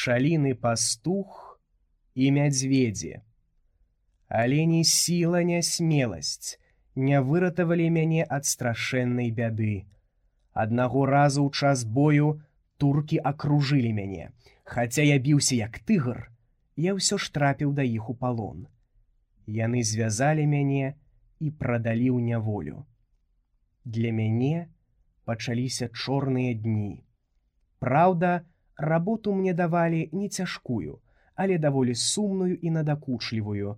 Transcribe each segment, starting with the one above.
пчаліны пастух і мядзведзі. Але ні сіла, ні смеласць не выратавалі мяне ад страшэннай бяды. Аднаго разу ў час бою туркі акружылі мяне. Хаця я біўся як тыгр, я ўсё ж трапіў да іх у палон. Яны звязалі мяне і прадалі ў няволю. Для мяне пачаліся чорныя дні. Праўда, работу мне давалі не цяжкую, але даволі сумную і надакучлівую.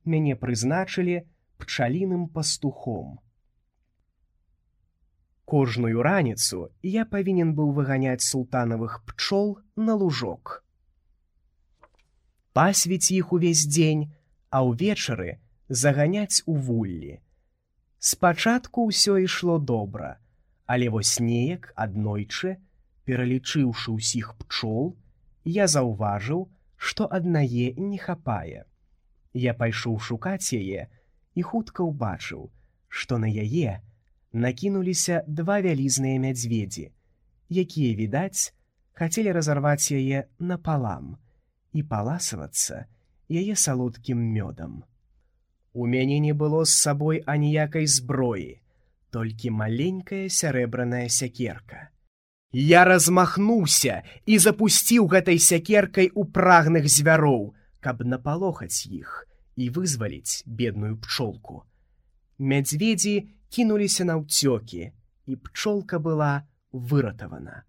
Мяне прызначылі пчаліным пастухом. Кожную раніцу я павінен быў выганяць султанавых пчол на лужок. Пасвіць іх увесь дзень, а ўвечары заганяць у вуллі. Спачатку ўсё ішло добра, але вось неяк аднойчы, пералічыўшы ўсіх пчол, я заўважыў, што аднае не хапае. Я пайшоў шукаць яе і хутка ўбачыў, што на яе накінуліся два вялізныя мядзведзі, якія, відаць, хацелі разарваць яе напалам і паласавацца яе салодкім мёдам. У мяне не было з сабой аніякай зброі, толькі маленькая сярэбраная сякерка. Я размахнуўся і запусціў гэтай сякеркай у прагных звяроў, каб напалохаць іх і вызваліць бедную пчолку. Мядзведзі кінуліся наўцёкі, і пчолка была выратавана.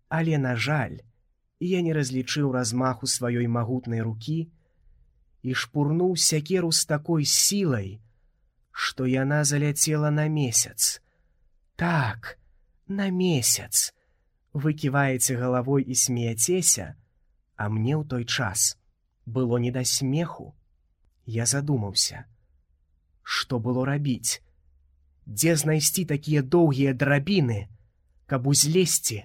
Але, на жаль, я не разлічыў размаху сваёй магутнай рукі і шпурнуў сякеру з такой сілай, што яна заляцела на месяц. Так, на месяц. Вы ківаеце галавой і смеяцеся, а мне ў той час было не да смеху. Я задумаўся, што было рабіць, дзе знайсці такія доўгія драбіны, каб узлезці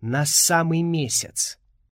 на самы месяц.